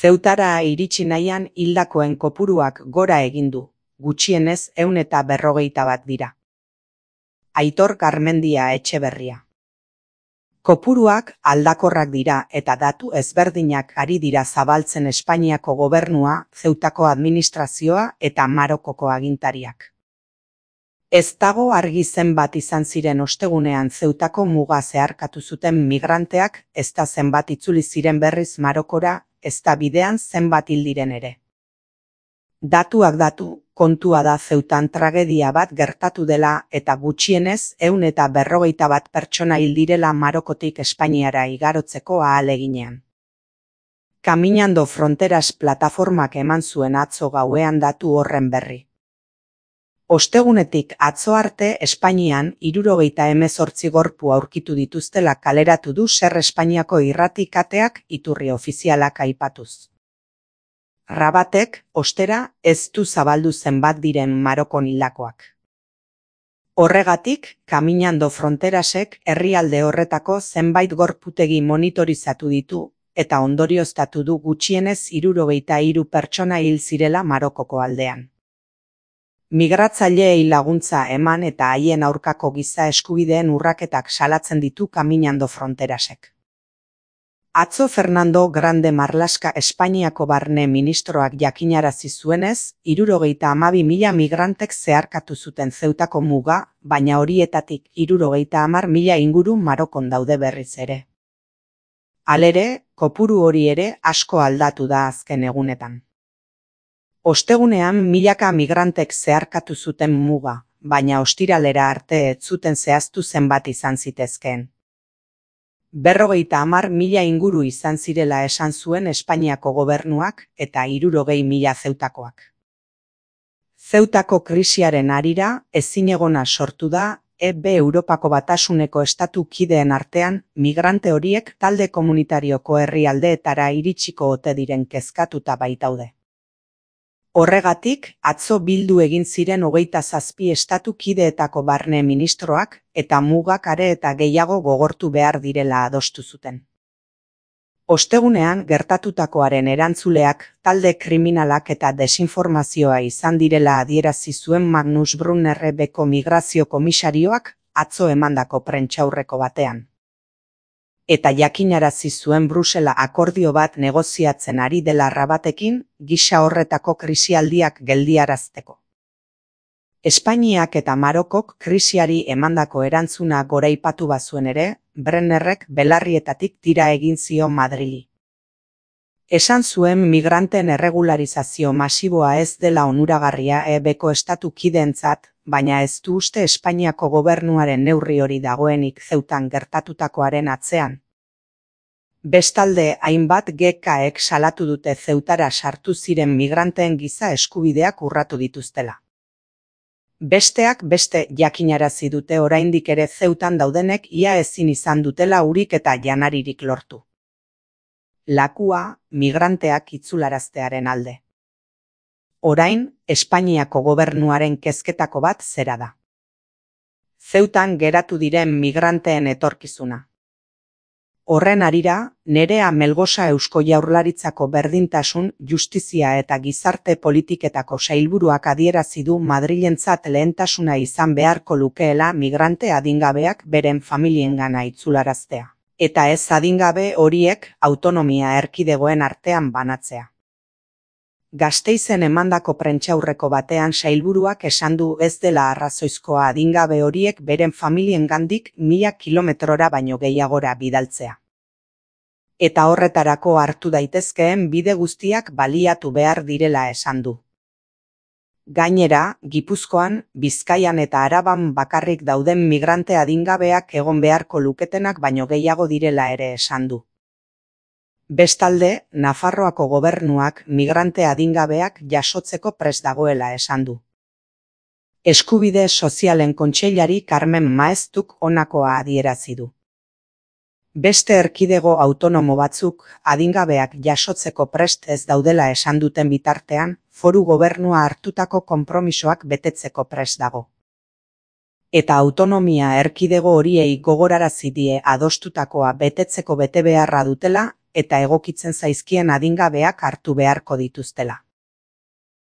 Zeutara iritsi nahian hildakoen kopuruak gora egin du, gutxienez 151 dira. Aitor Garmendia Etxeberria. Kopuruak aldakorrak dira eta datu ezberdinak ari dira zabaltzen Espainiako gobernua, Zeutako administrazioa eta Marokoko agintariak. Ez dago argi zenbat izan ziren ostegunean Zeutako muga zeharkatu zuten migranteak, ezta zenbat itzuli ziren berriz Marokora, ezta bidean zenbat hil diren ere. Datuak datu, kontua da Zeutan tragedia bat gertatu dela eta gutxienez 151 pertsona hil direla Marokotik Espainiara igarotzeko ahaleginean. Caminando Fronteras plataformak eman zuen atzo gauean datu horren berri. Ostegunetik atzo arte Espainian 78 gorpu aurkitu dituztela kaleratu du Ser Espainiako irrati kateak iturri ofizialak aipatuz. Rabatek, ostera, ez du zabaldu zenbat diren Marokon hildakoak. Horregatik, Caminando Fronterasek herrialde horretako zenbait gorputegi monitorizatu ditu eta ondorioztatu du gutxienez 73 pertsona hil zirela Marokoko aldean. Migratzaileei laguntza eman eta haien aurkako giza eskubideen urraketak salatzen ditu Caminando Fronterasek. Atzo Fernando Grande Marlaska Espainiako barne ministroak jakinarazi zuenez, 72.000 migrantek zeharkatu zuten Zeutako muga, baina horietatik 70.000 inguru Marokon daude berriz ere. Halere, kopuru hori ere asko aldatu da azken egunetan. Ostegunean milaka migrantek zeharkatu zuten muga, baina ostiralera arte ez zuten zehaztu zenbat izan zitezkeen. 50.000 inguru izan zirela esan zuen Espainiako gobernuak eta 60.000 zeutakoak. Zeutako krisiaren harira ezinegona sortu da Europako Batasuneko estatu kideen artean migrante horiek talde komunitarioko herrialdeetara iritsiko ote diren kezkatuta baitaude. Horregatik, atzo bildu egin ziren 27 estatu kideetako barne ministroak eta mugak are eta gehiago gogortu behar direla adostu zuten. Ostegunean gertatutakoaren erantzuleak talde kriminalak eta desinformazioa izan direla adierazi zuen Magnus Brunner Beko migrazio komisarioak atzo emandako prentsaurreko batean. Eta jakinarazi zuen Brusela akordio bat negoziatzen ari dela Rabatekin gisa horretako krisialdiak geldiarazteko. Espainiak eta Marokok krisiari emandako erantzuna goraipatu bazuen ere, Brennerrek belarrietatik tira egin zion Madrili. Esan zuen migranten erregularizazio masiboa ez dela onuragarria Beko estatu kideentzat, baina ez du uste Espainiako gobernuaren neurri hori dagoenik Zeutan gertatutakoaren atzean. Bestalde, hainbat GKek salatu dute Zeutara sartu ziren migranteen giza eskubideak urratu dituztela. Besteak beste jakinarazi dute oraindik ere Zeutan daudenek ia ezin izan dutela urik eta janaririk lortu. Lakua, migranteak itzularaztearen alde. Orain, Espainiako gobernuaren kezketako bat zera da. Zeutan geratu diren migranteen etorkizuna. Horren harira, Nerea Melgosa Eusko Jaurlaritzako berdintasun, justizia eta gizarte politiketako sailburuak adierazi du Madrilentzat lehentasuna izan beharko lukeela migrante adingabeak beren familiengana itzularaztea, eta ez adingabe horiek autonomia erkidegoen artean banatzea. Gasteizen emandako prentsaurreko batean sailburuak esan du ez dela arrazoizkoa adingabe horiek beren familiengandik 1000 kilometrora baino gehiagora bidaltzea. Eta horretarako hartu daitezkeen bide guztiak baliatu behar direla esan du. Gainera, Gipuzkoan, Bizkaian eta Araban bakarrik dauden migrante adingabeak egon beharko luketenak baino gehiago direla ere esan du. Bestalde, Nafarroako gobernuak migrante adingabeak jasotzeko prest dagoela esan du. Eskubide Sozialen Kontseilari Carmen Maeztuk honakoa adierazi du. Beste erkidego autonomo batzuk adingabeak jasotzeko prest ez daudela esan duten bitartean, foru gobernua hartutako konpromisoak betetzeko prest dago. Eta autonomia erkidego horiei gogorarazi die adostutakoa betetzeko betebeharra dutela, eta egokitzen zaizkien adingabeak hartu beharko dituztela.